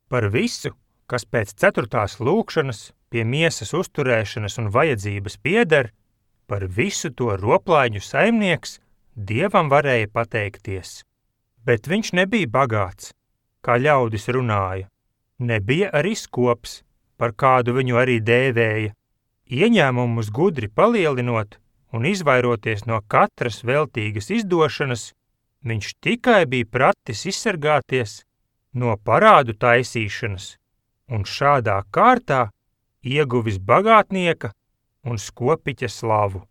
Par visu, kas pēc 4. lūgšanas, pie miesas uzturēšanas un vajadzības pieder, par visu to roplaiņu saimnieks Dievam varēja pateikties. Bet viņš nebija bagāts, kā ļaudis runāja. Nebija arī skops, par kādu viņu arī dēvēja. Ieņēmumus gudri palielinot un izvairoties no katras veltīgas izdošanas, viņš tikai bija pratis izsargāties no parādu taisīšanas un šādā kārtā ieguvis bagātnieka un skopiķa slavu.